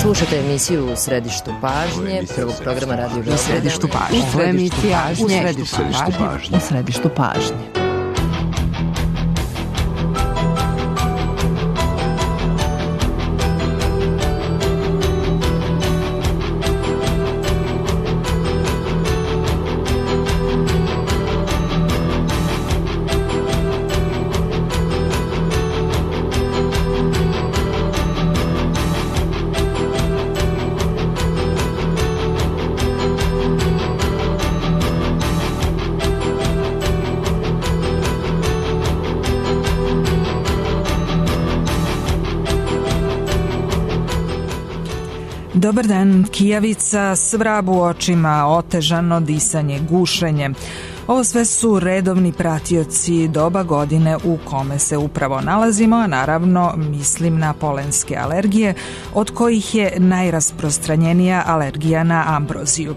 Slušate emisiju U središtu pažnje, prvog programa Radio Beograda. U središtu pažnje. U središtu pažnje. Dobar dan, kijavica, svrab u očima, otežano disanje, gušenje. Ovo sve su redovni pratioci doba godine u kome se upravo nalazimo, a naravno mislim na polenske alergije, od kojih je najrasprostranjenija alergija na ambroziju.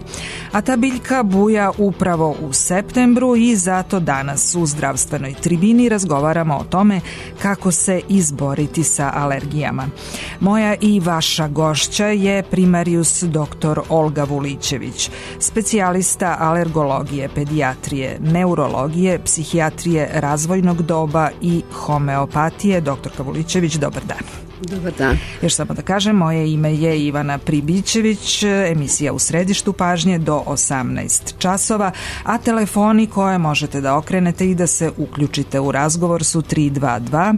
A ta biljka buja upravo u septembru i zato danas u zdravstvenoj tribini razgovaramo o tome kako se izboriti sa alergijama. Moja i vaša gošća je primarijus dr. Olga Vulićević, specijalista alergologije, pedijatrije, neurologije, psihijatrije razvojnog doba i homeopatije. Doktorka Vulićević, dobar dan. Dobar dan. Još samo da kažem, moje ime je Ivana Pribićević, emisija U središtu pažnje do 18 časova, a telefoni koje možete da okrenete i da se uključite u razgovor su 322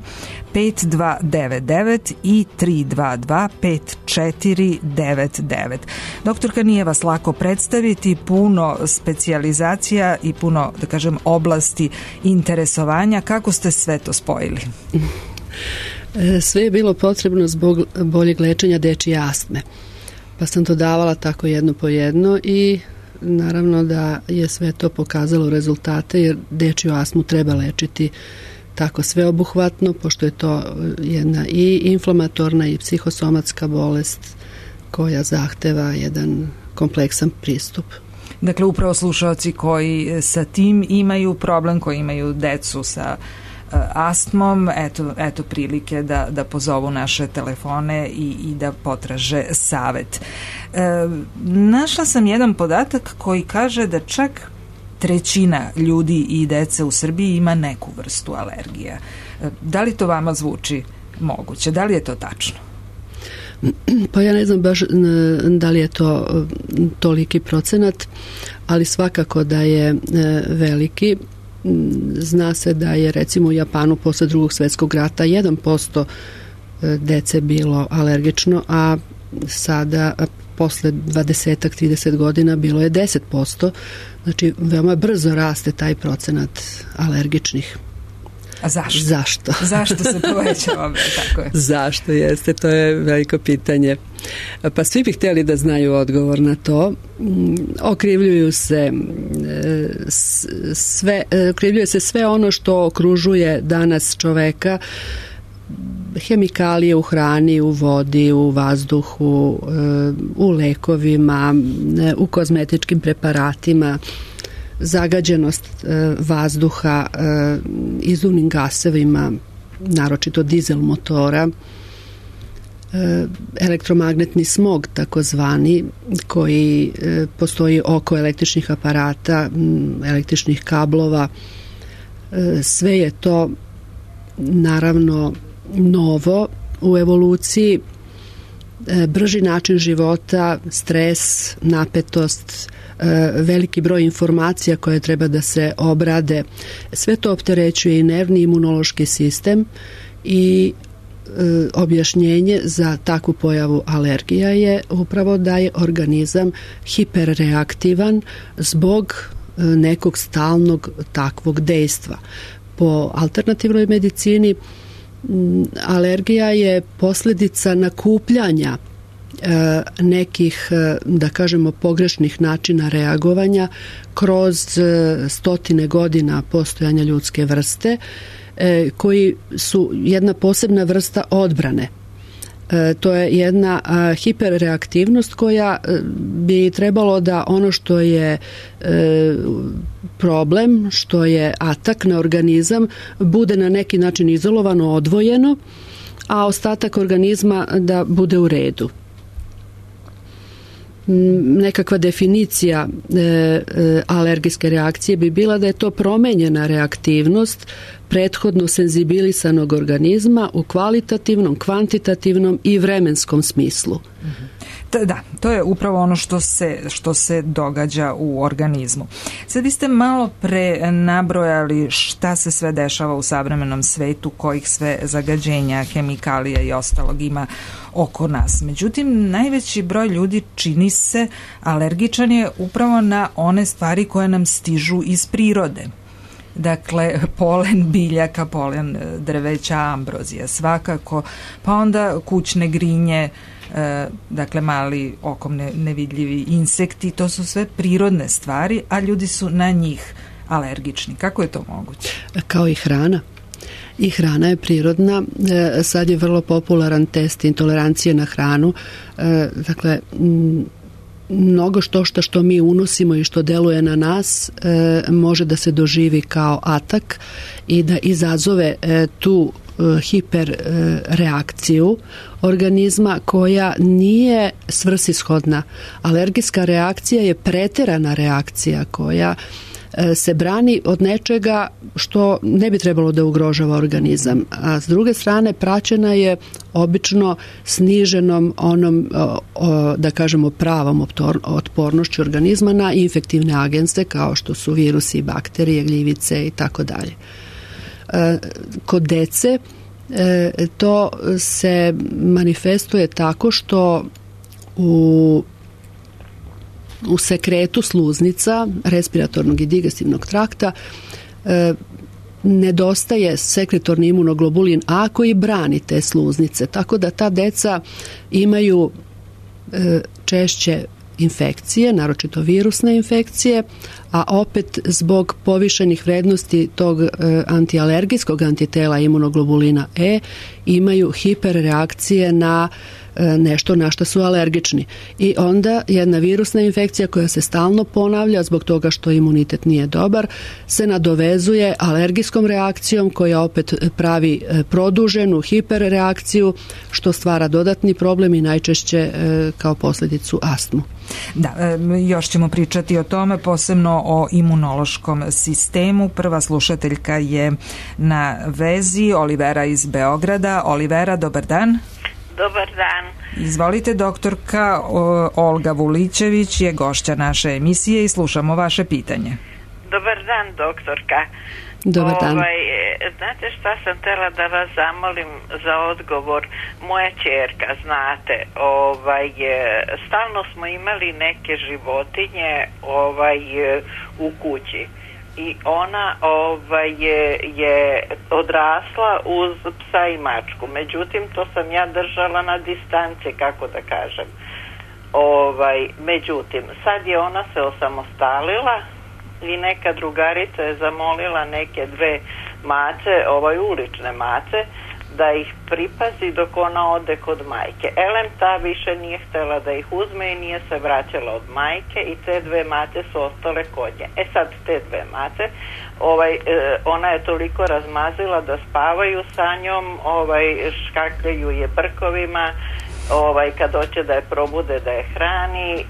5299 i 322 5499. Doktorka, nije vas lako predstaviti, puno specijalizacija i puno, da kažem, oblasti interesovanja. Kako ste sve to spojili? Sve je bilo potrebno zbog boljeg lečenja dečije astme. Pa sam to davala tako jedno po jedno i naravno da je sve to pokazalo rezultate, jer dečiju astmu treba lečiti tako sveobuhvatno, pošto je to jedna i inflamatorna i psihosomatska bolest koja zahteva jedan kompleksan pristup. Dakle, upravo slušalci koji sa tim imaju problem, koji imaju decu sa astmom, eto prilike da pozovu naše telefone i da potraže savet. Našla sam jedan podatak koji kaže da čak 1/3 ljudi i dece u Srbiji ima neku vrstu alergija. Da li to vama zvuči moguće? Da li je to tačno? Pa ja ne znam baš da li je to toliki procenat, ali svakako da je veliki. Zna se da je recimo u Japanu posle Drugog svjetskog rata 1% dece bilo alergično, a sada posle 20-30 godina bilo je 10%. Znači veoma brzo raste taj procenat alergičnih. A zašto? Zašto? Zašto se povećava? Tako je. Zašto jeste? To je veliko pitanje. Pa svi bi htjeli da znaju odgovor na to. Okrivljuje se sve ono što okružuje danas čoveka, hemikalije u hrani, u vodi, u vazduhu, u lekovima, u kozmetičkim preparatima, zagađenost vazduha izduvnim gasevima, naročito dizel motora, elektromagnetni smog takozvani koji postoji oko električnih aparata, električnih kablova. Sve je to naravno novo u evoluciji, brži način života, stres, napetost, veliki broj informacija koje treba da se obrade. Sve to opterećuje i nervni imunološki sistem i objašnjenje za takvu pojavu alergija je upravo da je organizam hiperreaktivan zbog nekog stalnog takvog dejstva. Po alternativnoj medicini alergija je posljedica nakupljanja nekih, da kažemo, pogrešnih načina reagovanja kroz stotine godina postojanja ljudske vrste, koji su jedna posebna vrsta odbrane. To je jedna hiperreaktivnost koja bi trebalo da ono što je problem, što je atak na organizam, bude na neki način izolovano, odvojeno, a ostatak organizma da bude u redu. nekakva definicija alergijske reakcije bi bila da je to promenjena reaktivnost prethodno senzibilisanog organizma u kvalitativnom, kvantitativnom i vremenskom smislu. Da, to je upravo ono što se događa u organizmu. Sad vi ste malo pre nabrojali šta se sve dešava u savremenom svetu, kojih sve zagađenja, hemikalija i ostalog ima oko nas. Međutim, najveći broj ljudi čini se alergičan je upravo na one stvari koje nam stižu iz prirode. Dakle, polen biljaka, polen drveća, ambrozija svakako, pa onda kućne grinje, dakle mali okom nevidljivi insekti, to su sve prirodne stvari, a ljudi su na njih alergični. Kako je to moguće? Kao i hrana. I hrana je prirodna. Sad je vrlo popularan test intolerancije na hranu. Dakle, mnogo što mi unosimo i što deluje na nas može da se doživi kao atak i da izazove tu hiperreakciju organizma koja nije svrsishodna. Alergijska reakcija je preterana reakcija koja se brani od nečega što ne bi trebalo da ugrožava organizam. A s druge strane praćena je obično sniženom onom, da kažemo, pravom otpornošću organizma na infektivne agense kao što su virusi, bakterije, gljivice i tako dalje. Kod dece to se manifestuje tako što u sekretu sluznica, respiratornog i digestivnog trakta nedostaje sekretorni imunoglobulin A koji brani te sluznice, tako da ta deca imaju češće infekcije, naročito virusne infekcije, a opet zbog povišenih vrednosti tog antialergijskog antitela imunoglobulina E imaju hiperreakcije na nešto na što su alergični. I onda jedna virusna infekcija koja se stalno ponavlja zbog toga što imunitet nije dobar se nadovezuje alergijskom reakcijom koja opet pravi produženu hiperreakciju što stvara dodatni problem i najčešće kao posljedicu astmu. Da, još ćemo pričati o tome, posebno o imunološkom sistemu. Prva slušateljka je na vezi, Olivera iz Beograda. Olivera, dobar dan. Dobar dan. Izvolite, doktorka Olga Vulićević je gošća naše emisije i slušamo vaše pitanje. Dobar dan, doktorka. Dobar dan. Znate šta sam htjela da vas zamolim za odgovor? Moja ćerka, znate, stalno smo imali neke životinje u kući. I ona je odrasla uz psa i mačku. Međutim, to sam ja držala na distanci, kako da kažem. Međutim, sad je ona se osamostalila i neka drugarica je zamolila neke dve mace, ulične mace, da ih pripazi dok ona ode kod majke. Elem ta više nije htjela da ih uzme i nije se vraćala od majke i te dve mace su ostale kod nje. Sad te dve mace, ona je toliko razmazila da spavaju sa njom, škakljaju je brkovima, kad hoće da je probude da je hrani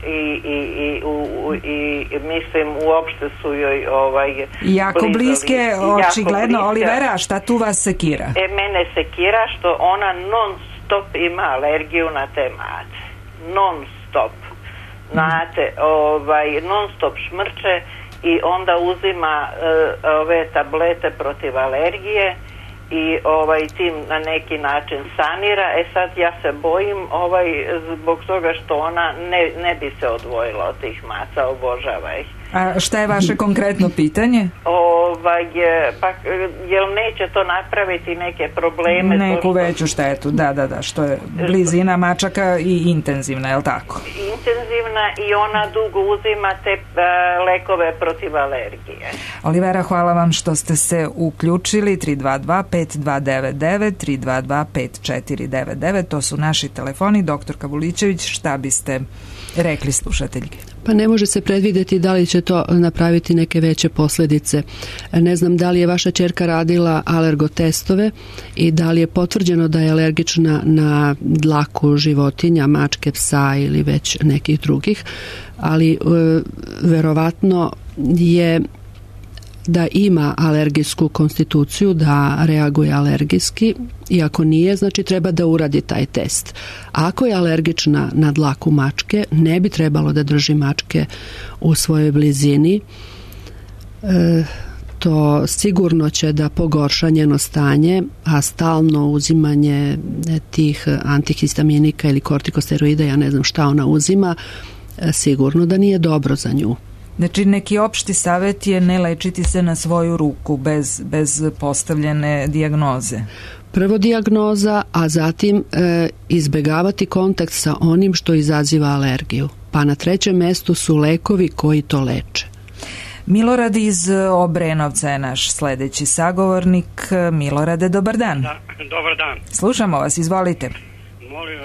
i mislim uopšte su joj jako bliske, očigledno. Olivera, a šta tu vas sekira? Mene sekira što ona non stop ima alergiju na te mace. Non stop. Znate, non stop šmrče i onda uzima ove tablete protiv alergije i tim na neki način sanira. Sad ja se bojim zbog toga što ona ne bi se odvojila od tih maca, obožava ih. A šta je vaše konkretno pitanje? Pa jel neće to napraviti neke probleme? Neku veću štetu, da, što je blizina mačaka i intenzivna, je li tako? Intenzivna i ona dugo uzima te lekove protiv alergije. Olivera, hvala vam što ste se uključili. 322-5299, 322-5499, to su naši telefoni. Doktorka Vulićević, šta biste rekli slušateljke? Pa ne može se predvidjeti da li će to napraviti neke veće posljedice. Ne znam da li je vaša ćerka radila alergotestove i da li je potvrđeno da je alergična na dlaku životinja, mačke, psa ili već nekih drugih, ali verovatno je da ima alergijsku konstituciju, da reaguje alergijski, i ako nije, znači treba da uradi taj test. Ako je alergična na dlaku mačke, ne bi trebalo da drži mačke u svojoj blizini. To sigurno će da pogorša njeno stanje, a stalno uzimanje tih antihistaminika ili kortikosteroida, ja ne znam šta ona uzima, sigurno da nije dobro za nju. Znači, neki opšti savjet je ne lečiti se na svoju ruku bez postavljene dijagnoze. Prvo dijagnoza, a zatim izbegavati kontakt sa onim što izaziva alergiju. Pa na trećem mestu su lekovi koji to leče. Milorad iz Obrenovca je naš sledeći sagovornik. Milorade, dobar dan. Da, dobar dan. Slušamo vas, izvolite. Molim,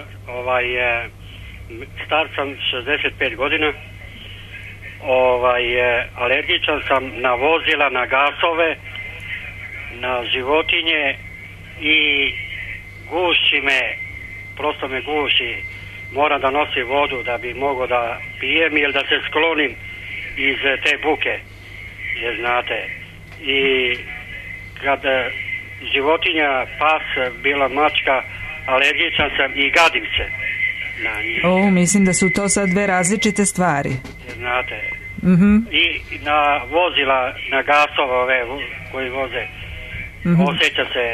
star sam 65 godina. Alergičan sam na vozila, na gasove, na životinje i guši me, prosto me guši. Moram da nosim vodu da bi mogao da pijem ili da se sklonim iz te buke, jer znate. I kad životinja, pas, bila mačka, alergičan sam i gadim se na njih. Mislim da su to sad dve različite stvari. Znate. I na vozila, na gasove ove koji voze, osjeća se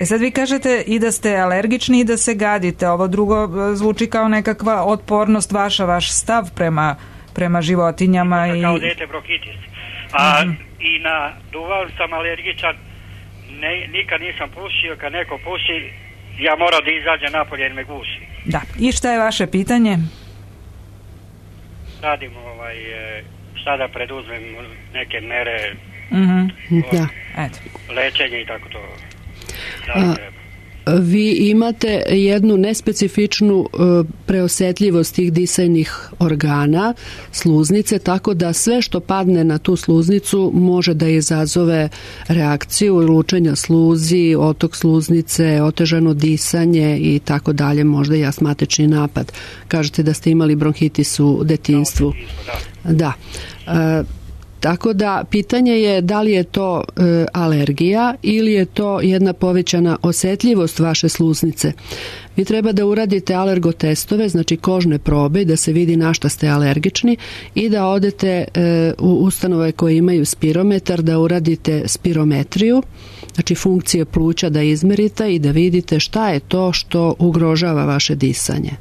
sad vi kažete i da ste alergični i da se gadite. Ovo drugo zvuči kao nekakva otpornost vaš stav prema životinjama. Kao dete bronhitis. A i na duvan sam alergičan. Nikad nisam pušio. Kad neko puši, ja moram da izađe napolje jer me guši. Da. I šta je vaše pitanje? Radim šta da preduzmem neke mere, lečenje i tako to. Vi imate jednu nespecifičnu preosetljivost tih disajnih organa, sluznice, tako da sve što padne na tu sluznicu može da izazove reakciju lučenja sluzi, otok sluznice, otežano disanje i tako dalje, možda i astmatični napad. Kažete da ste imali bronhitis u detinjstvu. Da. Tako da pitanje je da li je to alergija ili je to jedna povećana osetljivost vaše sluznice. Vi treba da uradite alergotestove, znači kožne probe, da se vidi na šta ste alergični i da odete u ustanove koje imaju spirometar, da uradite spirometriju, znači funkcije pluća da izmerite i da vidite šta je to što ugrožava vaše disanje.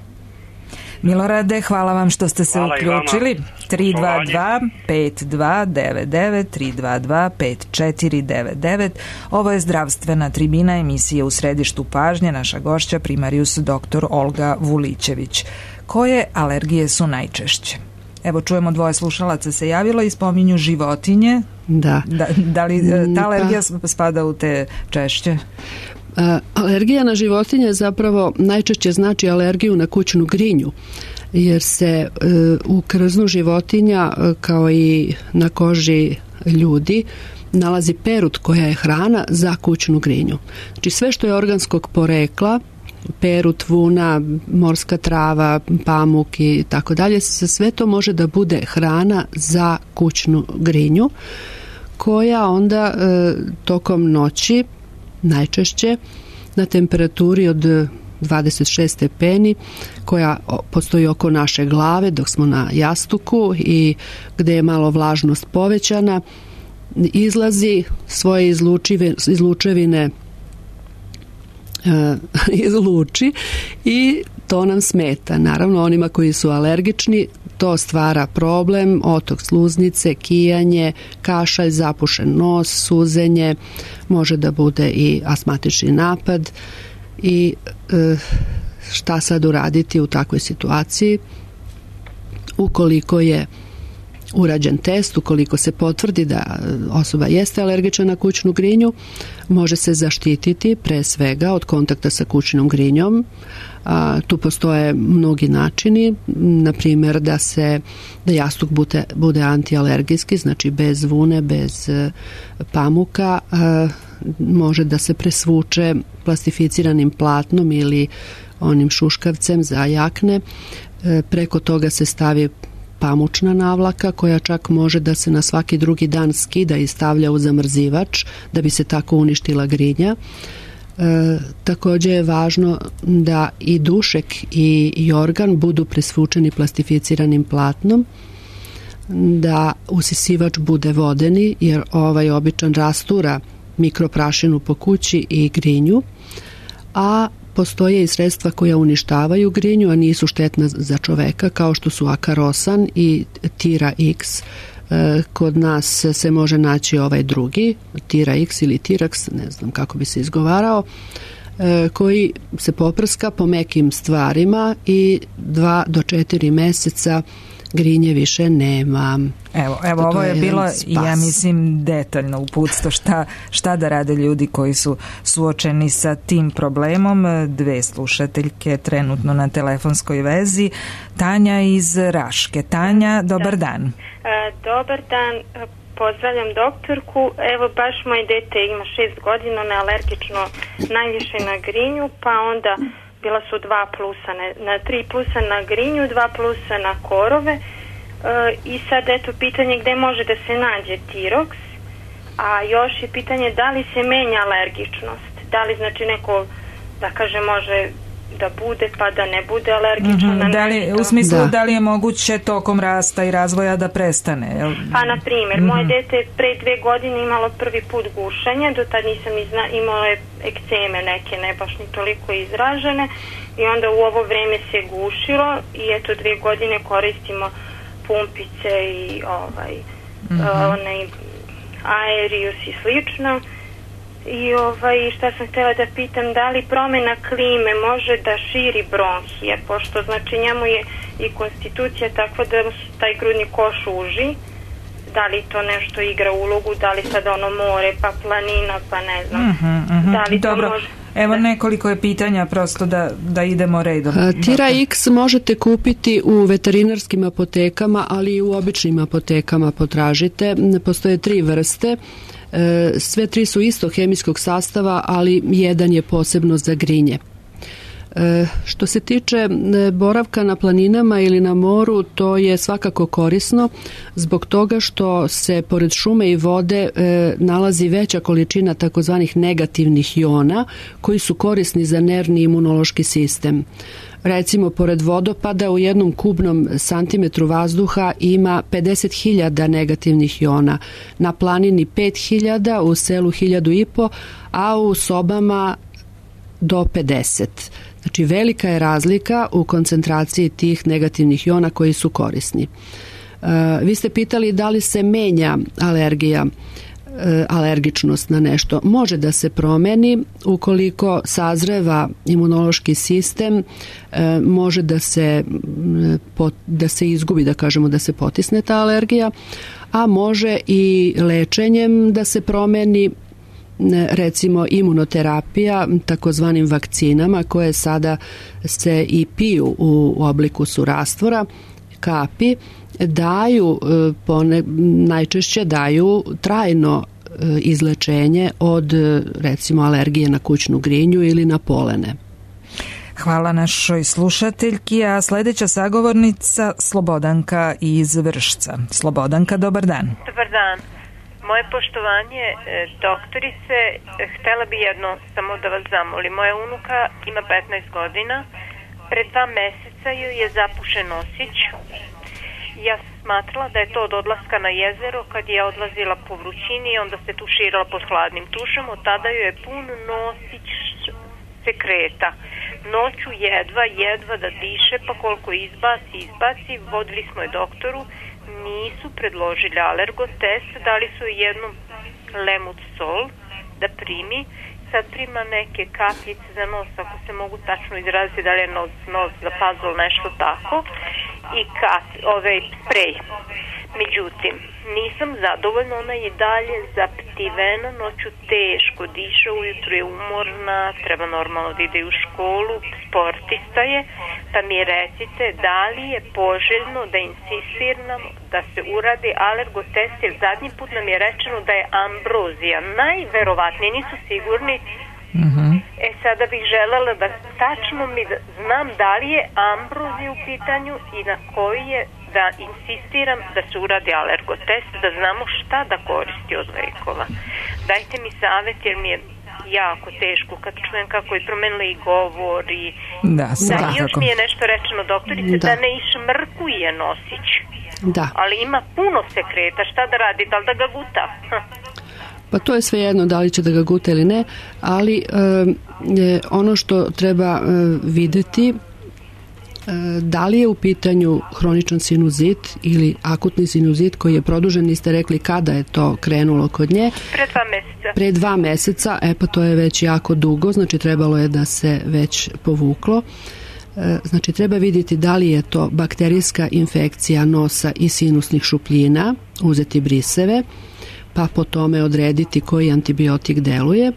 Milorade, hvala vam što ste se uključili. 322-5299, 322-5499. Ovo je zdravstvena tribina, emisije U središtu pažnje. Naša gošća primarius dr. Olga Vulićević. Koje alergije su najčešće? Evo, čujemo dvoje slušalaca se javilo i spominju životinje. Da. Da li ta alergija spada u te češće? Alergija na životinje zapravo najčešće znači alergiju na kućnu grinju, jer se u krznu životinja kao i na koži ljudi nalazi perut koja je hrana za kućnu grinju. Znači sve što je organskog porekla, perut, vuna, morska trava, pamuk i tako dalje, sve to može da bude hrana za kućnu grinju, koja onda tokom noći najčešće na temperaturi od 26 stepeni koja postoji oko naše glave dok smo na jastuku i gde je malo vlažnost povećana, izlazi svoje izlučevine izluči i to nam smeta. Naravno, onima koji su alergični to stvara problem, otok sluznice, kijanje, kašalj, zapušen nos, suzenje, može da bude i astmatični napad. I šta sad uraditi u takvoj situaciji? Ukoliko je urađen test, ukoliko se potvrdi da osoba jeste alergična na kućnu grinju, može se zaštititi pre svega od kontakta sa kućnom grinjom. Tu postoje mnogi načini, na primjer da jastuk bude antialergijski, znači bez vune, bez pamuka, može da se presvuče plastificiranim platnom ili onim šuškavcem za jakne, preko toga se stavi pamučna navlaka koja čak može da se na svaki drugi dan skida i stavlja u zamrzivač da bi se tako uništila grinja. Također je važno da i dušek i jorgan budu presvučeni plastificiranim platnom, da usisivač bude vodeni jer ovaj običan rastura mikroprašinu po kući i grinju, a postoje i sredstva koja uništavaju grinju, a nisu štetna za čoveka, kao što su akarosan i Tira X. Kod nas se može naći ovaj drugi, Tira X ili Tirax, ne znam kako bi se izgovarao, koji se poprska po mekim stvarima i 2 do 4 meseca grinje više nema. Evo ovo je bilo, ja mislim, detaljno uputstvo šta da rade ljudi koji su suočeni sa tim problemom. 2 slušateljke trenutno na telefonskoj vezi. Tanja iz Raške. Tanja, dobar dan. Dobar dan, pozdravljam doktorku. Evo, baš moje dete ima 6 godina, nealergično najviše na grinju, pa onda bila su 3 plusa na grinju, 2 plusa na korove. I sad eto pitanje gde može da se nađe Tirox, a još je pitanje da li se menja alergičnost, da li znači neko da kaže može da bude pa da ne bude alergičan u smislu da li je moguće tokom rasta i razvoja da prestane, jel? Pa na primjer, moje dete pre 2 godine imalo prvi put gušenje, do tad nisam imalo je ekceme neke, ne baš ni toliko izražene, i onda u ovo vreme se gušilo i eto 2 godine koristimo pumpice i onaj Aerius i slično. I šta sam htjela da pitam, da li promjena klime može da širi bronhije, pošto znači njemu je i konstitucija takva da taj grudni koš uži, da li to nešto igra ulogu, da li sad ono more, pa planina, pa ne znam, da li to može... Evo nekoliko je pitanja prosto da idemo redom. Tira X možete kupiti u veterinarskim apotekama, ali i u običnim apotekama potražite. Postoje 3 vrste. Sve 3 su istog hemijskog sastava, ali jedan je posebno za grinje. Što se tiče boravka na planinama ili na moru, to je svakako korisno zbog toga što se pored šume i vode nalazi veća količina takozvanih negativnih jona koji su korisni za nervni imunološki sistem. Recimo, pored vodopada u jednom kubnom santimetru vazduha ima 50.000 negativnih jona, na planini 5.000, u selu 1.500, a u sobama do 50. Znači, velika je razlika u koncentraciji tih negativnih jona koji su korisni. Vi ste pitali da li se menja alergičnost na nešto. Može da se promeni ukoliko sazreva imunološki sistem, može da se izgubi, da kažemo, da se potisne ta alergija, a može i lečenjem da se promeni, recimo imunoterapija takozvanim vakcinama koje sada se i piju u obliku surastvora, kapi, najčešće daju trajno izlečenje od recimo alergije na kućnu grinju ili na polene. Hvala našoj slušateljki, a sljedeća sagovornica Slobodanka iz Vršca. Slobodanka, dobar dan. Dobar dan. Moje poštovanje, doktorice, htjela bi jedno samo da vas zamolim. Moja unuka ima 15 godina, pred 2 mjeseca joj je zapušen nosić. Ja sam smatrala da je to od odlaska na jezero kad je odlazila po vrućini i onda se tuširala pod hladnim tušem. Od tada joj je pun nosić sekreta. Noću jedva da diše, pa koliko izbaci. Vodili smo je doktoru, nisu predložili alergotest, dali su jednu lemut sol da primi. Sad prima neke kapljice za nos, ako se mogu tačno izraziti da li je nos za pazol, nešto tako, i sprej. Međutim, nisam zadovoljna, ona je i dalje zaptivena, noću teško diše, ujutru je umorna, treba normalno da ide u školu, sportista je, pa mi recite da li je poželjno da insistiram da se uradi alergotest, jer zadnji put nam je rečeno da je ambrozija, najverovatnije, nisu sigurni. Sada bih želela da tačno znam da li je ambrozija u pitanju i na koji je, da insistiram da se uradi alergotest, da znamo šta da koristi od lekova. Dajte mi savjet, jer mi je jako teško kad čujem kako je promenila i govor i još mi je nešto rečeno doktorice da ne išmrkuje nosić, ali ima puno sekreta, šta da radi, da li da ga guta? Pa to je svejedno da li će da ga guta ili ne, ali ono što treba videti, da li je u pitanju hroničan sinuzit ili akutni sinuzit koji je produžen, niste rekli kada je to krenulo kod nje? Pre 2 meseca, pa to je već jako dugo, znači trebalo je da se već povuklo. Znači treba vidjeti da li je to bakterijska infekcija nosa i sinusnih šupljina, uzeti briseve, pa po tome odrediti koji antibiotik deluje.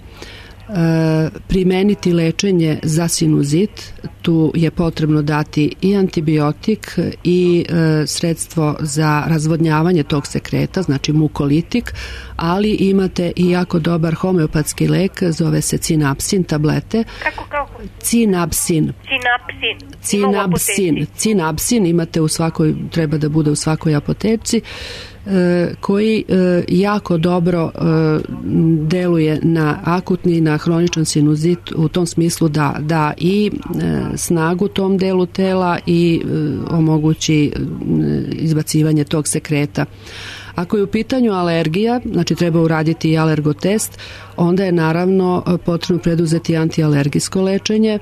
Primeniti lečenje za sinuzit, tu je potrebno dati i antibiotik i sredstvo za razvodnjavanje tog sekreta, znači mukolitik, ali imate i jako dobar homeopatski lek, zove se cinapsin, tablete. Kako? Cinapsin imate u svakoj, treba da bude u svakoj apoteci, koji jako dobro deluje na akutni i na hroničan sinuzit u tom smislu da i snagu tom delu tela i omogući izbacivanje tog sekreta. Ako je u pitanju alergija, znači treba uraditi i alergotest, onda je naravno potrebno preduzeti antialergijsko lečenje.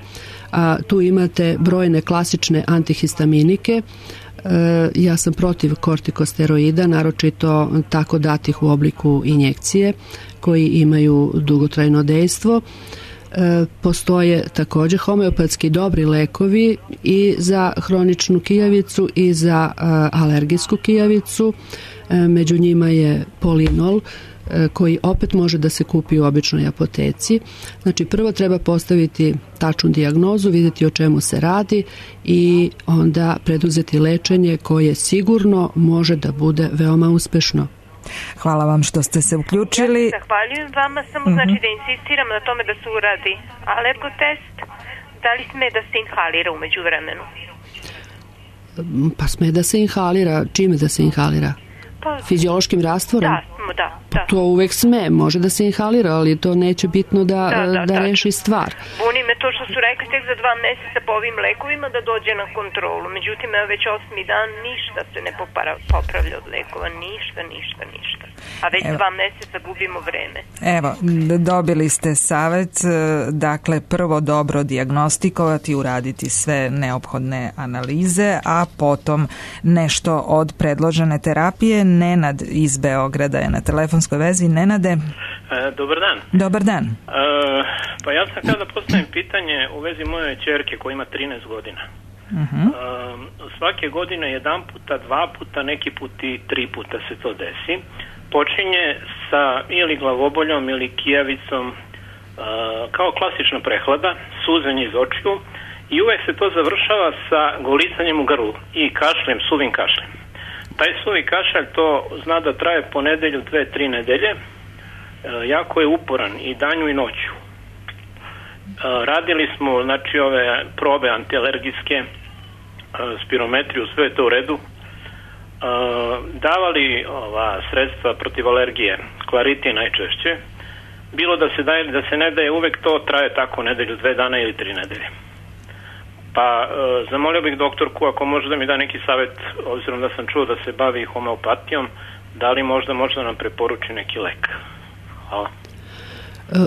Tu imate brojne klasične antihistaminike. Ja sam protiv kortikosteroida, naročito tako datih u obliku injekcije koji imaju dugotrajno dejstvo. Postoje također homeopatski dobri lekovi i za hroničnu kijavicu i za alergijsku kijavicu. Među njima je polinol koji opet može da se kupi u običnoj apoteci. Znači prvo treba postaviti tačnu dijagnozu, vidjeti o čemu se radi i onda preduzeti lečenje koje sigurno može da bude veoma uspešno. Hvala vam što ste se uključili. Ja zahvaljujem vama, samo znači da insistiram na tome da se uradi alergotest. Da li sme da se inhalira umeđu vremenu? Pa sme da se inhalira. Čime da se inhalira? Fiziološkim rastvorom? Da. To uvek sme, može da se inhalira, ali to neće bitno da reši stvar. Buni me to što su rekli tek za 2 meseca po ovim lekovima da dođe na kontrolu. Međutim, već 8. dan ništa se ne popravlja od lekova. Ništa. A već 2 meseca gubimo vreme. Evo, dobili ste savjet, dakle prvo dobro dijagnostikovati, uraditi sve neophodne analize, a potom nešto od predložene terapije. Nenad iz Beograda je na telefonskoj vezi. Nenade. Dobar dan. Dobar dan. Pa ja sam kada postavim pitanje u vezi moje ćerke koja ima 13 godina. Svake godine 1 puta, 2 puta, neki put i 3 puta se to desi. Počinje sa ili glavoboljom ili kijavicom, kao klasična prehlada, suzanje iz očiju i uvek se to završava sa golicanjem u grlu i kašljem, suvim kašljem. Taj suvi kašalj to zna da traje po nedelju, 2-3 nedelje. Jako je uporan i danju i noću. Radili smo znači ove probe antialergijske, spirometriju, sve je to u redu. Davali sredstva protiv alergije, Claritin najčešće. Bilo da se daje, da se ne daje, uvek to traje tako nedelju, 2 dana ili 3 nedelje. Pa zamolio bih doktorku ako može da mi da neki savjet, obzirom da sam čuo da se bavi homeopatijom, da li možda može da nam preporuči neki lek. Hvala.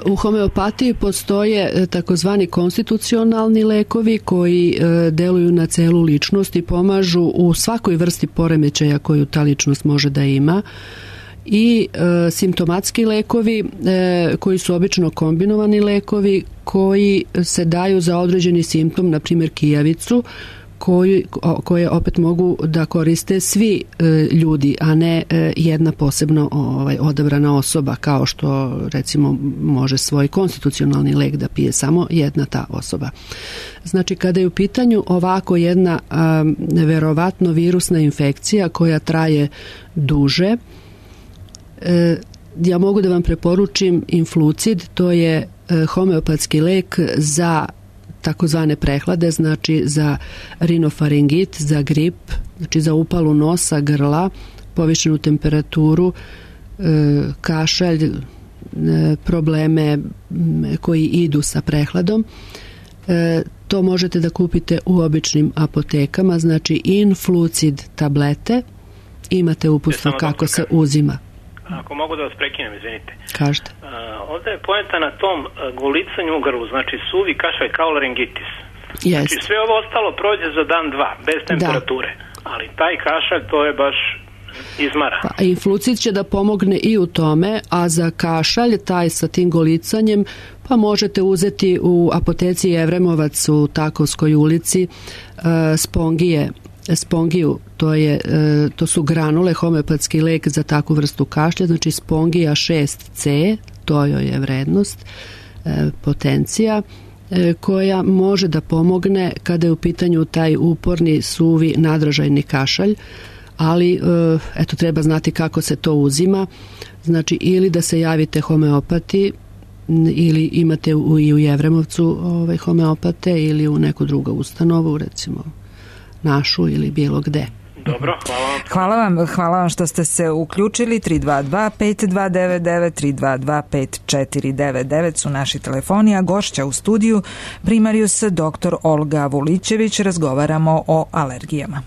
U homeopatiji postoje takozvani konstitucionalni lekovi koji deluju na celu ličnost i pomažu u svakoj vrsti poremećaja koju ta ličnost može da ima. I simptomatski lekovi koji su obično kombinovani lekovi koji se daju za određeni simptom, na primjer kijavicu, koje opet mogu da koriste svi ljudi, a ne jedna posebno odabrana osoba, kao što recimo može svoj konstitucionalni lek da pije samo jedna ta osoba. Znači, kada je u pitanju ovako jedna verovatno virusna infekcija koja traje duže, ja mogu da vam preporučim Influcid, to je homeopatski lek za takozvane prehlade, znači za rinofaringit, za grip, znači za upalu nosa, grla, povišenu temperaturu, kašalj, probleme koji idu sa prehladom. To možete da kupite u običnim apotekama, znači Influcid tablete, imate uputstvo kako se uzima. Ako mogu da vas prekinem, izvinite. Kažete. Ovdje je poenta na tom gulicanju u grlu, znači suvi kašalj kao laringitis. Znači sve ovo ostalo prođe za dan, dva, bez temperature. Da. Ali taj kašalj, to je baš izmara. Pa, Influcid će da pomogne i u tome, a za kašalj, taj sa tim golicanjem, pa možete uzeti u apoteci Evremovac u Takovskoj ulici Spongiju, to su granule, homeopatski lek za takvu vrstu kašlja, znači Spongija 6C, to joj je vrednost, potencija, koja može da pomogne kada je u pitanju taj uporni, suvi, nadražajni kašalj, ali eto, treba znati kako se to uzima, znači ili da se javite homeopati, ili imate i u Jevremovcu homeopate, ili u neku drugu ustanovu, recimo našu ili bilo gde. Dobro, hvala vam. Hvala vam što ste se uključili. 322-5299, 322-5499 su naši telefoni, a gošća u studiju primarijus dr. Olga Vulićević. Razgovaramo o alergijama.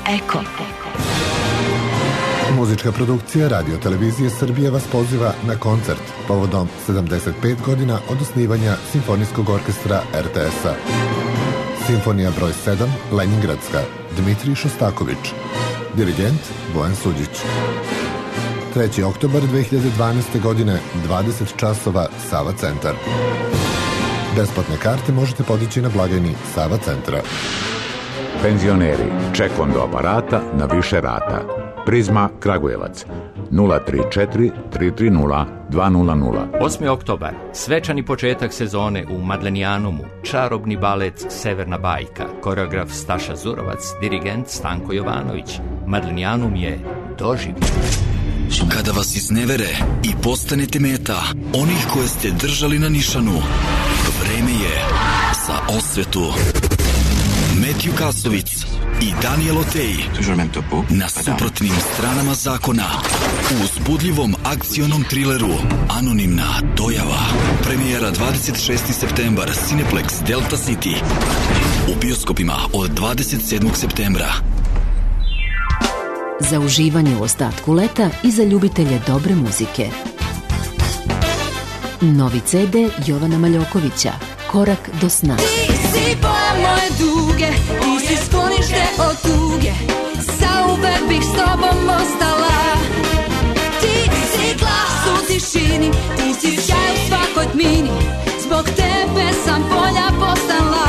Eko. Muzička produkcija Radio Televizije Srbije vas poziva na koncert povodom 75 godina od osnivanja Simfonijskog orkestra RTS-a. Simfonija broj 7, Leningradska, Dmitrij Šostaković. Dirigent Bojan Suđić. 3. oktobar 2012. godine, 20 časova, Sava centar. Besplatne karte možete podići na blagajni Sava centra. Penzioneri, ček do aparata na više rata. Prizma Kragujevac 034 330 200. 8. oktobar, svečani početak sezone u Madlenijanumu, čarobni balet Severna bajka, koreograf Staša Zurovac, dirigent Stanko Jovanović. Madlenijanum je doživljaj. Kada vas iznevere i postanete meta onih koje ste držali na nišanu, vreme je za osvetu. Metju Kasovic i Daniel Otej na suprotnim stranama zakona u uzbudljivom akcionom trileru Anonimna dojava. Premijera 26. septembar, Cineplex Delta City. U bioskopima od 27. septembra. Za uživanje u ostatku leta i za ljubitelje dobre muzike. Novi CD Jovana Maljokovića, Korak do sna. Ti si boja moje duge, ti si sklonište od tuge, zauvek bih s tobom ostala. Ti si glas u tišini, ti si sjaj u svakoj tmini, zbog tebe sam bolja postala.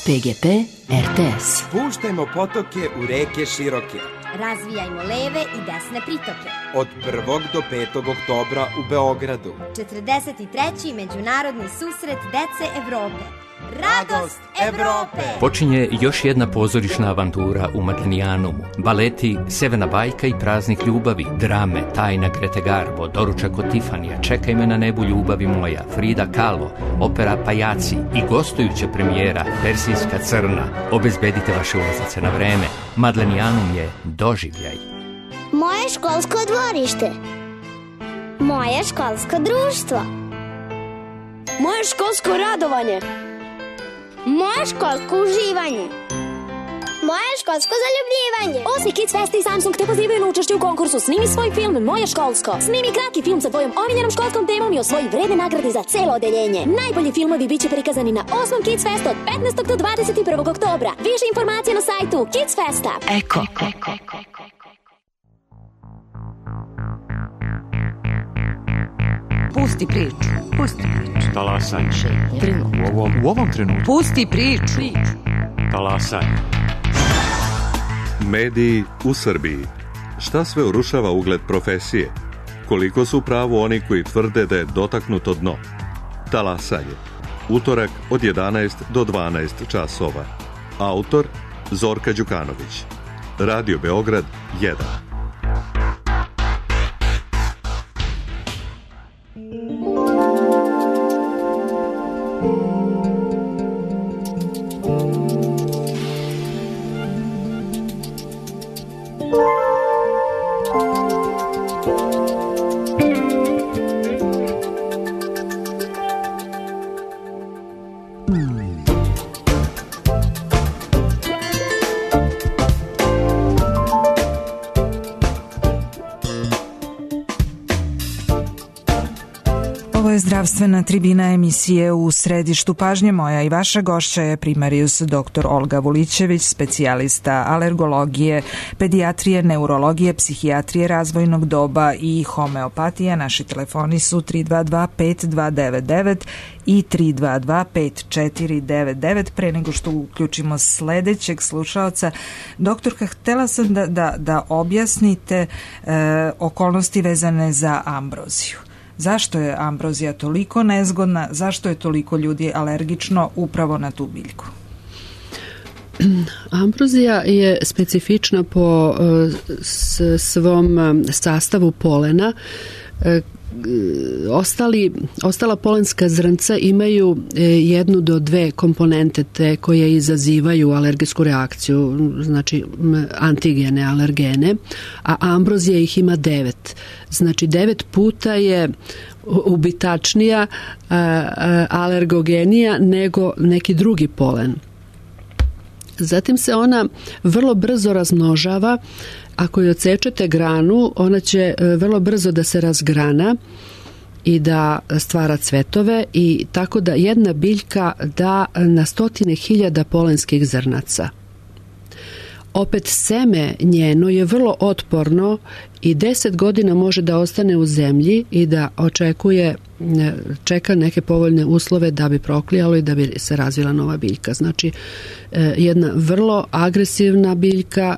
PGP RTS. Puštajmo potoke u reke široke. Razvijajmo leve i desne pritoke. Od 1. do 5. oktobra u Beogradu. 43. međunarodni susret dece Evrope. Radost Evrope! Počinje još jedna pozorišna avantura u Madlenijanumu. Baleti Severna bajka i Praznik ljubavi, drame Tajna Grete Garbo, Doručak od Tifanija, Čekaj me na nebu ljubavi moja, Frida Kahlo, opera Pajaci i gostujuća premijera Persijska crna. Obezbedite vaše ulazice na vreme. Madlenijanum je doživljaj. Moje školsko dvorište. Moje školsko društvo. Moje školsko radovanje. Moje školsko uživanje. Moje školsko zaljubljivanje. Osmi Kids Fest i Samsung te pozivaju na učešće u konkursu Snimi svoj film Moje školsko. Snimi kratki film sa tvojom omiljenom školskom temom i osvoji vredne nagrade za celo odeljenje. Najbolji filmovi biće prikazani na 8. Kids Fest od 15. do 21. oktobra. Više informacija na sajtu Kids Festa. Eko. Pusti priču. Talasanje. U ovom trenutku. Pusti priču. Talasanje. Mediji u Srbiji. Šta sve urušava ugled profesije? Koliko su pravo oni koji tvrde da je dotaknuto dno? Talasanje. Utorak od 11 do 12 časova. Autor Zorka Đukanović. Radio Beograd 1. Zdravstvena tribina emisije U središtu pažnje. Moja i vaša gošća je primarijus dr. Olga Vulićević, specijalista alergologije, pedijatrije, neurologije, psihijatrije razvojnog doba i homeopatije. Naši telefoni su 322 5299 i 322 5499. Pre nego što uključimo sledećeg slušaoca, doktorka, htela sam da objasnite okolnosti vezane za ambroziju. Zašto je ambrozija toliko nezgodna? Zašto je toliko ljudi alergično upravo na tu biljku? Ambrozija je specifična po svom sastavu polena. Ostala polenska zrnca imaju 1 do 2 komponente te koje izazivaju alergijsku reakciju, znači antigene, alergene, a ambrozija ih ima 9. Znači 9 puta je ubitačnija, alergogenija nego neki drugi polen. Zatim se ona vrlo brzo razmnožava. Ako joj odsečete granu, ona će vrlo brzo da se razgrana i da stvara cvetove, i tako da jedna biljka da na 100.000 polenskih zrnaca. Opet seme njeno je vrlo otporno i 10 godina može da ostane u zemlji i da čeka neke povoljne uslove da bi proklijalo i da bi se razvila nova biljka. Znači, jedna vrlo agresivna biljka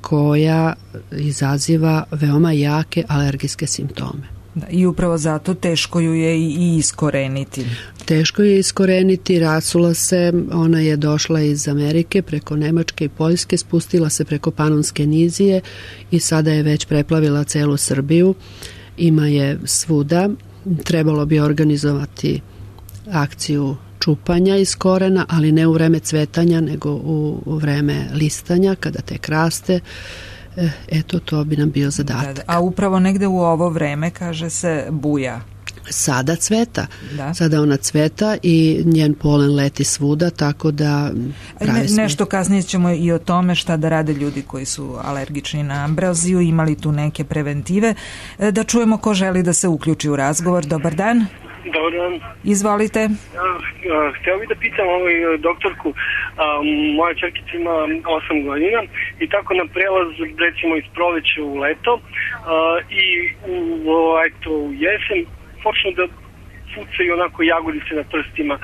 koja izaziva veoma jake alergijske simptome. I upravo zato teško ju je i iskoreniti. Teško je iskoreniti, rasula se, ona je došla iz Amerike preko Nemačke i Poljske, spustila se preko Panonske nizije i sada je već preplavila celu Srbiju. Ima je svuda. Trebalo bi organizovati akciju čupanja iz korena, ali ne u vreme cvetanja, nego u vreme listanja, kada tek raste. Eto, to bi nam bio zadatak. A upravo negde u ovo vreme, kaže se, buja. Sada cveta. Sada ona cveta i njen polen leti svuda, tako da nešto kasnije ćemo i o tome šta da rade ljudi koji su alergični na ambroziju, imali tu neke preventive. Da čujemo ko želi da se uključi u razgovor. Dobar dan. Dobar dan. Izvolite. Htio bih da pitam doktorku, moja čerkica ima 8 godina i tako na prelaz, recimo iz proleća u leto i u jesen počnu da pucaju onako jagodice na prstima,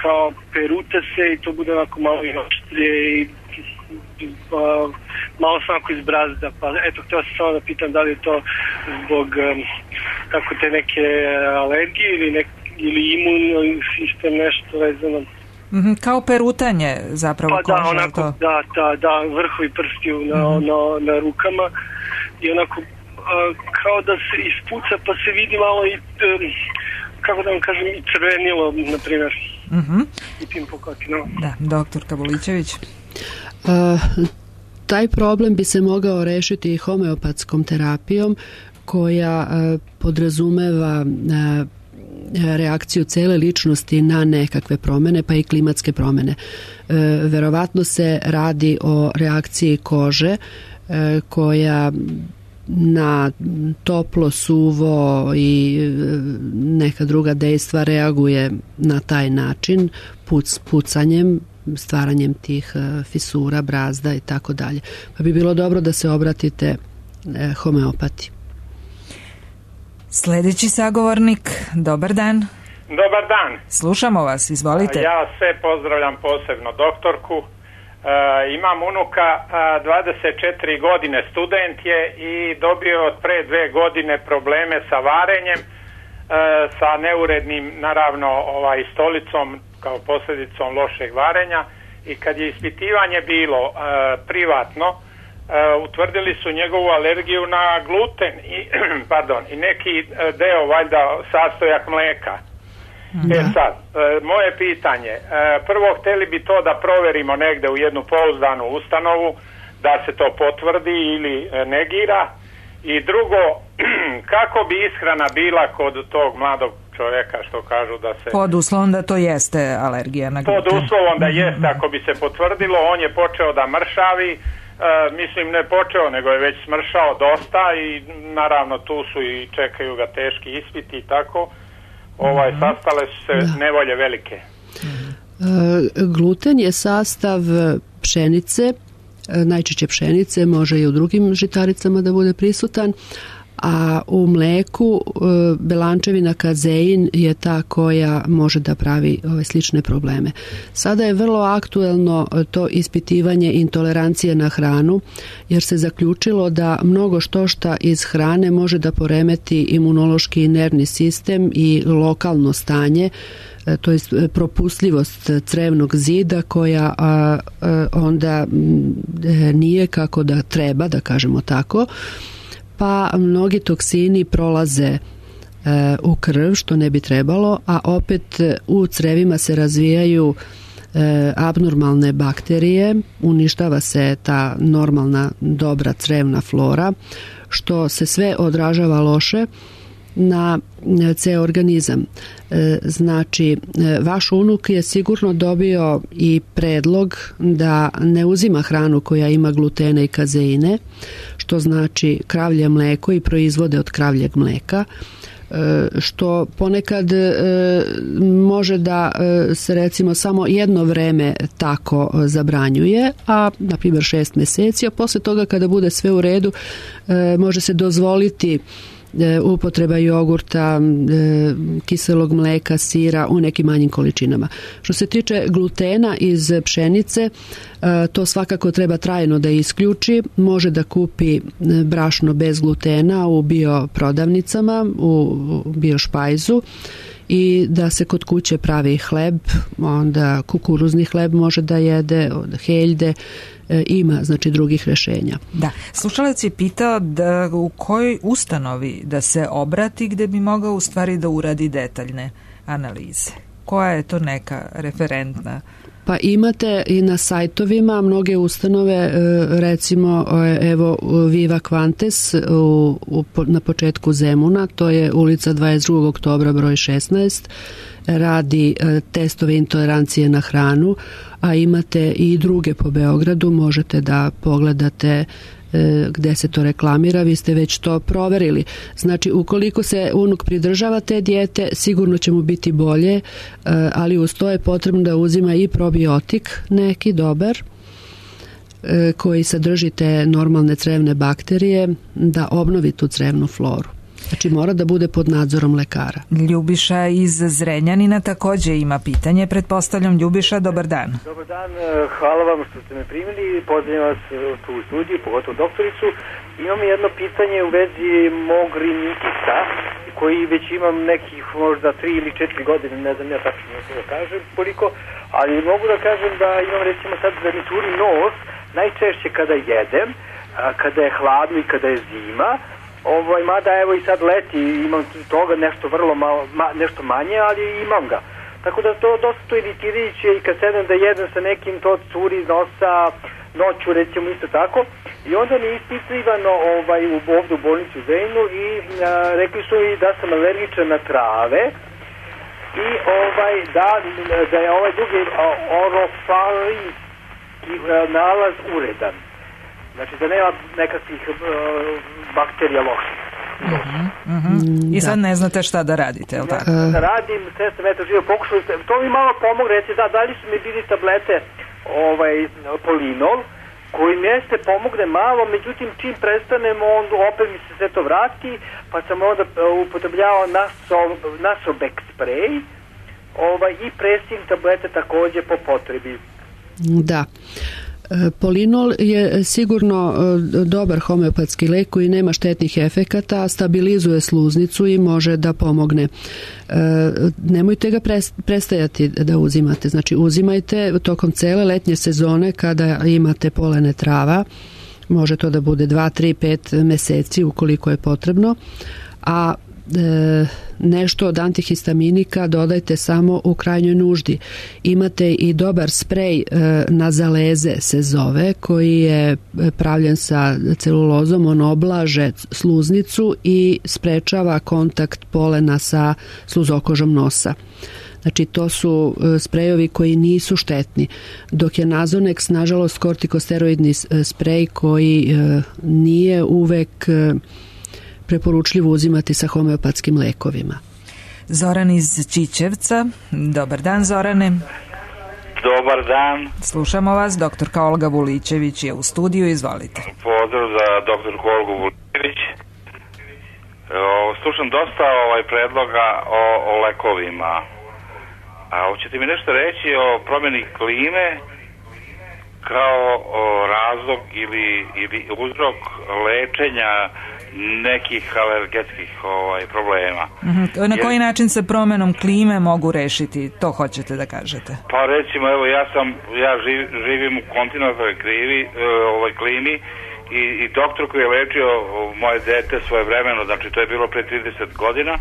kao perute se i to bude onako malo i oštrije i malo sam onako izbrazda. Pa eto, htio sam samo da pitam da li je to zbog tako te neke alergije ili imunni sistem, nešto vezano. Kao perutanje zapravo kože. Pa da, onako, da, vrhovi prstiju na rukama i onako kao da se ispuca pa se vidi malo i kako da vam kažem i crvenilo, na primjer, u tim pokotinama. Da, doktor Kabulićević. Taj problem bi se mogao rešiti i homeopatskom terapijom koja podrazumeva reakciju cele ličnosti na nekakve promene, pa i klimatske promene. Verovatno se radi o reakciji kože koja na toplo, suvo i neka druga dejstva reaguje na taj način, pucanjem, stvaranjem tih fisura, brazda i tako dalje. Pa bi bilo dobro da se obratite homeopati. Sljedeći sagovornik, dobar dan. Dobar dan. Slušamo vas, izvolite. Ja sve pozdravljam, posebno doktorku. Imam unuka, 24 godine, student je i dobio od pre 2 godine probleme sa varenjem, sa neurednim, naravno, stolicom kao posljedicom lošeg varenja, i kad je ispitivanje bilo privatno, utvrdili su njegovu alergiju na gluten i neki deo, valjda, sastojak mleka. Sad, moje pitanje, prvo hteli bi to da proverimo negde u jednu pouzdanu ustanovu, da se to potvrdi ili negira, i drugo, kako bi ishrana bila kod tog mladog čovjeka, što kažu da se... Pod uslovom da to jeste alergija na gluten. Pod uslovom da jeste, ako bi se potvrdilo, on je počeo da mršavi, mislim ne počeo, nego je već smršao dosta i naravno tu su i čekaju ga teški ispiti i tako. Sastale su se nevolje velike. Gluten je sastav pšenice, najčešće pšenice, može i u drugim žitaricama da bude prisutan, a u mleku belančevina kazein je ta koja može da pravi ove slične probleme. Sada je vrlo aktuelno to ispitivanje intolerancije na hranu, jer se zaključilo da mnogo štošta iz hrane može da poremeti imunološki i nervni sistem i lokalno stanje, to je propustljivost crevnog zida koja onda nije kako da treba, da kažemo tako, pa mnogi toksini prolaze u krv, što ne bi trebalo, a opet u crevima se razvijaju abnormalne bakterije, uništava se ta normalna dobra crevna flora, što se sve odražava loše na ceo organizam. Znači, vaš unuk je sigurno dobio i predlog da ne uzima hranu koja ima glutena i kazeine, što znači kravlje mleko i proizvode od kravljeg mleka, što ponekad može da se recimo samo jedno vreme tako zabranjuje, a na primjer 6 meseci, a posle toga kada bude sve u redu može se dozvoliti upotreba jogurta, kiselog mleka, sira u nekim manjim količinama. Što se tiče glutena iz pšenice, to svakako treba trajno da isključi. Može da kupi brašno bez glutena u bioprodavnicama, u biošpajzu, i da se kod kuće pravi hleb, onda kukuruzni hleb može da jede, heljde, ima znači drugih rešenja. Da, slušalac je pitao da u kojoj ustanovi da se obrati gde bi mogao u stvari da uradi detaljne analize. Koja je to neka referentna? Pa imate i na sajtovima mnoge ustanove, recimo evo Viva Quantes na početku Zemuna, to je ulica 22. oktobra broj 16, radi testove intolerancije na hranu, a imate i druge po Beogradu, možete da pogledate gde se to reklamira, vi ste već to proverili. Znači, ukoliko se unuk pridržava te dijete, sigurno će mu biti bolje, ali uz to je potrebno da uzima i probiotik, neki dobar, koji sadrži te normalne crevne bakterije, da obnovi tu crevnu floru. Znači, mora da bude pod nadzorom lekara. Ljubiša iz Zrenjanina takođe ima pitanje. Pretpostavljam, Ljubiša, dobar dan. Dobar dan, hvala vam što ste me primili. Pozdravljam vas tu u studiju, pogotovo doktoricu. Imam jedno pitanje u vezi mog rinitisa, koji već imam nekih možda 3 ili 4 godine, ne znam ja tačno da kažem koliko, ali mogu da kažem da imam recimo sad da mi turi nos najčešće kada jedem, kada je hladno i kada je zima. Mada evo i sad leti, imam toga nešto vrlo malo, nešto manje, ali imam ga. Tako da to dosta iritirajuće i kad sedem da jedem sa nekim, to curi iz nosa, noću recimo isto tako. I onda mi je ispitivano ovdje u bolnici u Zrenjaninu i rekli su i da sam alergičan na trave i da je ovaj drugi orofarinski nalaz uredan. Znači da nema nekakvih bakterija loših. I sad ne znate šta da radite, je li tako? Da radim, sve sam eto živo pokušao, to mi malo pomogu, reći da li su mi bili tablete Polinol, koji mjeste pomogne malo, međutim čim prestanemo, onda opet mi se sve to vrati, pa sam onda upotrebljavao Nasobex sprej i Pressing tablete takođe po potrebi. Da. Polinol je sigurno dobar homeopatski lek koji nema štetnih efekata, stabilizuje sluznicu i može da pomogne. Nemojte ga prestajati da uzimate, znači uzimajte tokom cele letnje sezone kada imate polene trava, može to da bude 2, 3, 5 meseci ukoliko je potrebno, a nešto od antihistaminika dodajte samo u krajnjoj nuždi. Imate i dobar sprej nazaleze se zove, koji je pravljen sa celulozom, on oblaže sluznicu i sprečava kontakt polena sa sluzokožom nosa. Znači, to su sprejovi koji nisu štetni, dok je Nasonex, nažalost, kortikosteroidni sprej koji nije uvek preporučljivo uzimati sa homeopatskim lekovima. Zoran iz Čičevca. Dobar dan, Zorane. Dobar dan. Slušamo vas, doktorka Olga Vulićević je u studiju, izvolite. Pozdrav za doktorku Olgu Vulićević. Slušam dosta predloga o lekovima. A hoćete mi nešto reći o promjeni klime kao razlog ili uzrok lečenja nekih alergetskih problema. Na koji način se promjenom klime mogu rešiti, to hoćete da kažete? Pa recimo, evo ja živim u kontinentalnoj klimi i doktor koji je lečio moje dete svoje vremeno, znači to je bilo pre 30 godina,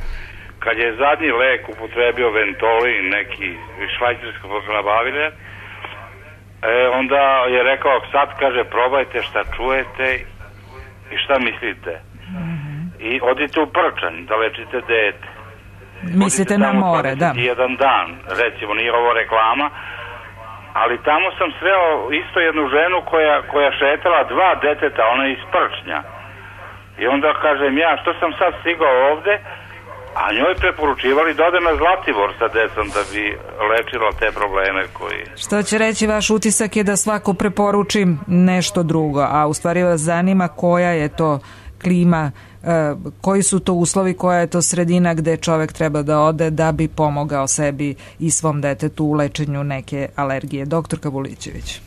kad je zadnji lek upotrebio Ventolin, neki švajcarsko nabavile, onda je rekao, sad kaže probajte šta čujete i šta mislite. i odite u Prčanj da lečite dete. Mislite na more, da. Jedan dan, recimo, nije ovo reklama, ali tamo sam sreo isto jednu ženu koja šetala 2 deteta, ona je iz Prčnja. I onda kažem ja, što sam sad stigao ovde, a njoj preporučivali da ode na Zlatibor sa decom da bi lečila te probleme koji... Što će reći, vaš utisak je da svako preporuči nešto drugo, a u stvari vas zanima koja je to klima, koji su to uslovi, koja je to sredina gde čovek treba da ode da bi pomogao sebi i svom detetu u lečenju neke alergije. Doktorka Vulićević.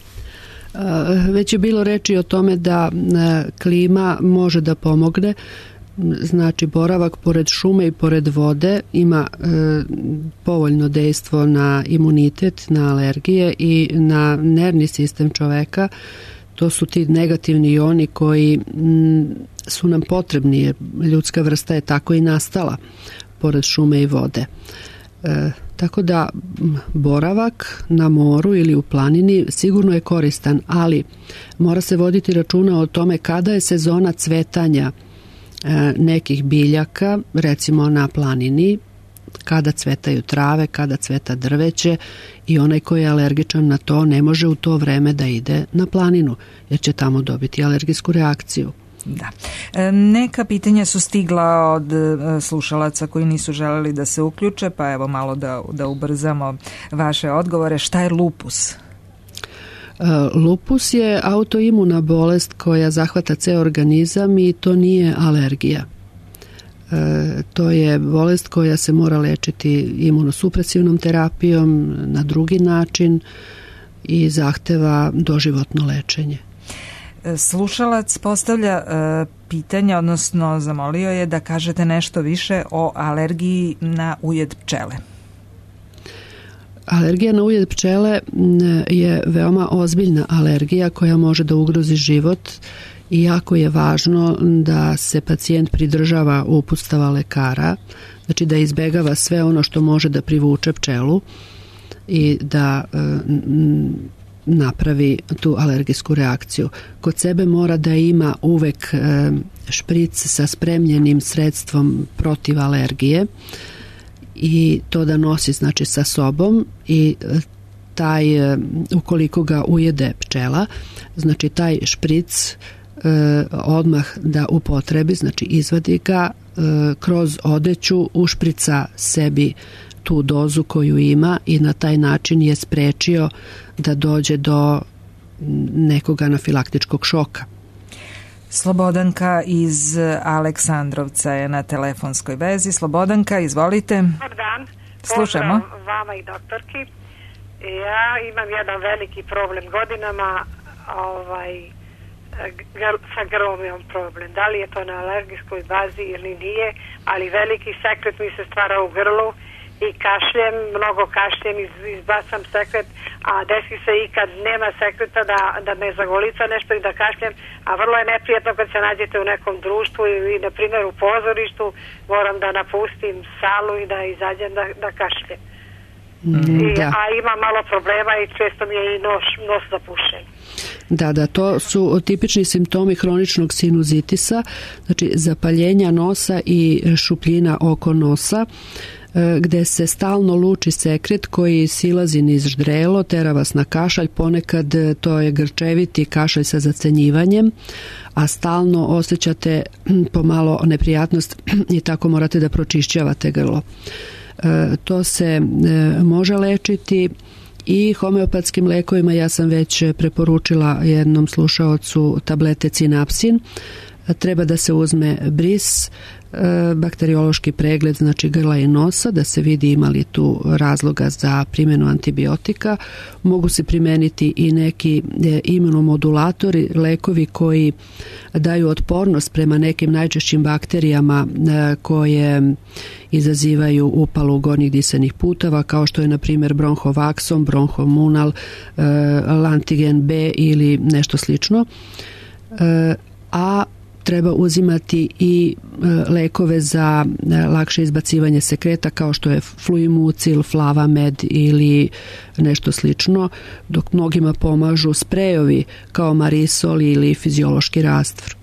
Već je bilo reči o tome da klima može da pomogne. Znači, boravak pored šume i pored vode ima povoljno dejstvo na imunitet, na alergije i na nervni sistem čoveka. To su ti negativni ioni koji su nam potrebni, jer ljudska vrsta je tako i nastala pored šume i vode. Tako da boravak na moru ili u planini sigurno je koristan, ali mora se voditi računa o tome kada je sezona cvetanja nekih biljaka, recimo na planini, kada cvetaju trave, kada cveta drveće, i onaj koji je alergičan na to ne može u to vreme da ide na planinu, jer će tamo dobiti alergijsku reakciju. Da. Neka pitanja su stigla od slušalaca koji nisu želeli da se uključe, pa evo malo da ubrzamo vaše odgovore. Šta je lupus? Lupus je autoimuna bolest koja zahvata ceo organizam i to nije alergija. To je bolest koja se mora lečiti imunosupresivnom terapijom na drugi način i zahteva doživotno lečenje. Slušalac postavlja pitanje, odnosno zamolio je da kažete nešto više o alergiji na ujed pčele. Alergija na ujed pčele je veoma ozbiljna alergija koja može da ugrozi život i jako je važno da se pacijent pridržava uputstava lekara, znači da izbegava sve ono što može da privuče pčelu i da napravi tu alergijsku reakciju. Kod sebe mora da ima uvek špric sa spremljenim sredstvom protiv alergije i to da nosi znači sa sobom, i taj, ukoliko ga ujede pčela, znači taj špric odmah da upotrebi, znači izvadi ga, kroz odeću ušprica sebi tu dozu koju ima i na taj način je sprečio da dođe do nekog anafilaktičkog šoka. Slobodanka iz Aleksandrovca je na telefonskoj vezi. Slobodanka, izvolite. Dobar dan. Slušamo. Pozdrav vama i doktorki. Ja imam jedan veliki problem godinama, sa grlom imam problem. Da li je to na alergijskoj bazi ili nije, ali veliki sekret mi se stvara u grlu i kašljem, mnogo kašljem, izbacam sekret, a desi se i kad nema sekreta da me zagolica nešto i da kašljem, a vrlo je neprijetno kad se nađete u nekom društvu i na primjer u pozorištu, moram da napustim salu i da izađem da kašljem. A ima malo problema i često mi je i nos zapušen. Da, to su tipični simptomi hroničnog sinuzitisa, znači zapaljenja nosa i šupljina oko nosa, gde se stalno luči sekret koji silazi niz ždrelo, tera vas na kašalj, ponekad to je grčeviti kašalj sa zacenjivanjem, a stalno osjećate pomalo neprijatnost i tako morate da pročišćavate grlo. To se može lečiti i homeopatskim lekovima. Ja sam već preporučila jednom slušaocu tablete Cinapsin. Treba da se uzme bris, bakteriološki pregled, znači grla i nosa, da se vidi ima li tu razloga za primjenu antibiotika. Mogu se primeniti i neki imunomodulatori, lekovi koji daju otpornost prema nekim najčešćim bakterijama koje izazivaju upalu gornjih disanih puteva, kao što je na primjer bronhovaksom, bronhomunal, lantigen B ili nešto slično. A treba uzimati i lekove za lakše izbacivanje sekreta, kao što je fluimucil, flavamed ili nešto slično, dok mnogima pomažu sprejovi kao marisol ili fiziološki rastvor.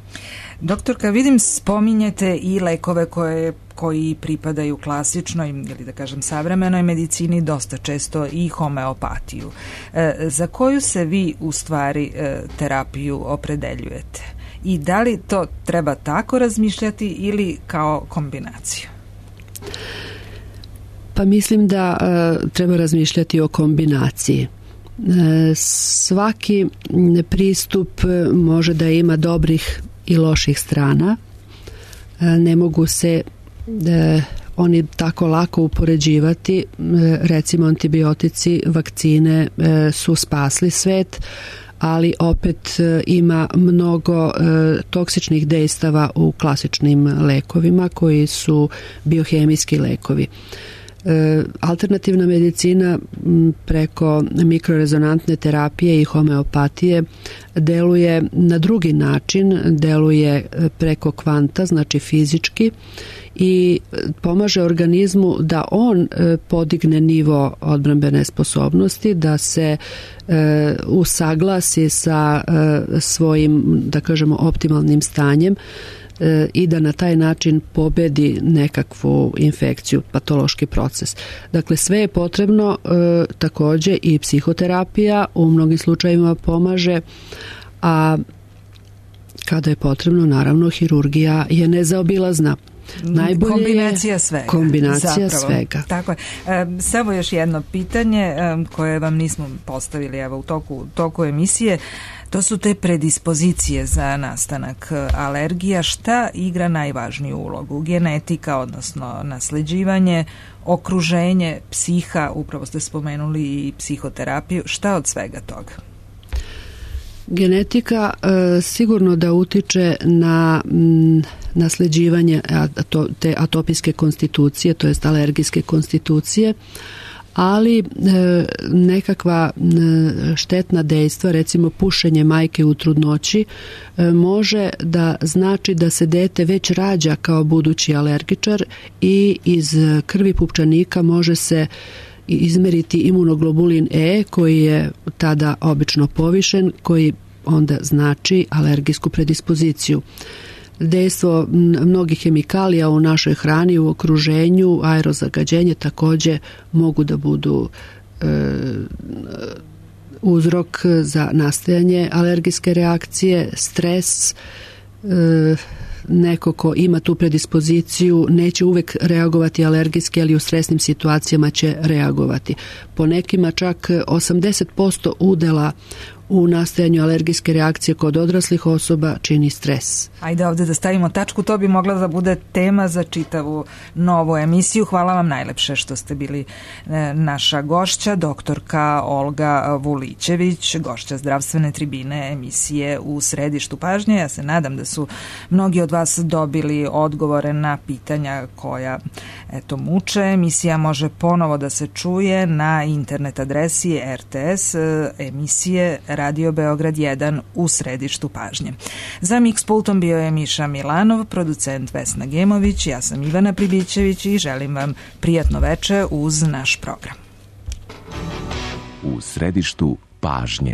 Doktorka, vidim spominjete i lekove koji pripadaju klasičnoj ili da kažem savremenoj medicini, dosta često i homeopatiju. Za koju se vi u stvari terapiju opredeljujete? I da li to treba tako razmišljati ili kao kombinaciju? Pa mislim da treba razmišljati o kombinaciji. Svaki pristup može da ima dobrih i loših strana. Ne mogu se oni tako lako upoređivati. Recimo antibiotici, vakcine su spasli svet, ali opet ima mnogo toksičnih dejstava u klasičnim lekovima koji su biohemijski lekovi. Alternativna medicina preko mikrorezonantne terapije i homeopatije deluje na drugi način, deluje preko kvanta, znači fizički, i pomaže organizmu da on podigne nivo odbrambene sposobnosti, da se usaglasi sa svojim, da kažemo, optimalnim stanjem i da na taj način pobedi nekakvu infekciju, patološki proces. Dakle, sve je potrebno, takođe i psihoterapija u mnogim slučajevima pomaže, a kada je potrebno, naravno, hirurgija je nezaobilazna. Najbolje kombinacija svega. Kombinacija svega. Tako je. Samo još jedno pitanje koje vam nismo postavili evo u toku emisije. To su te predispozicije za nastanak alergija. Šta igra najvažniju ulogu? Genetika, odnosno nasleđivanje, okruženje, psiha, upravo ste spomenuli i psihoterapiju. Šta od svega toga? Genetika sigurno da utiče na nasleđivanje te atopijske konstitucije, to jest alergijske konstitucije, ali nekakva štetna dejstva, recimo pušenje majke u trudnoći, može da znači da se dete već rađa kao budući alergičar i iz krvi pupčanika može se izmeriti imunoglobulin E koji je tada obično povišen, koji onda znači alergijsku predispoziciju. Dejstvo mnogih hemikalija u našoj hrani, u okruženju, aerozagađenje takođe mogu da budu uzrok za nastajanje alergijske reakcije, stres. Neko ko ima tu predispoziciju neće uvek reagovati alergijski, ali u stresnim situacijama će reagovati. Po nekima čak 80% udela u nastajanju alergijske reakcije kod odraslih osoba čini stres. Ajde ovde da stavimo tačku, to bi mogla da bude tema za čitavu novu emisiju. Hvala vam najlepše što ste bili naša gošća, doktorka Olga Vulićević, gošća zdravstvene tribine emisije U središtu pažnje. Ja se nadam da su mnogi od vas dobili odgovore na pitanja koja muče. Emisija može ponovo da se čuje na internet adresi RTS emisije Radio Beograd 1 U središtu pažnje. Za Mix pultom bio je Miša Milanov, producent Vesna Gemović, ja sam Ivana Pribićević i želim vam prijatno veče uz naš program. U središtu pažnje.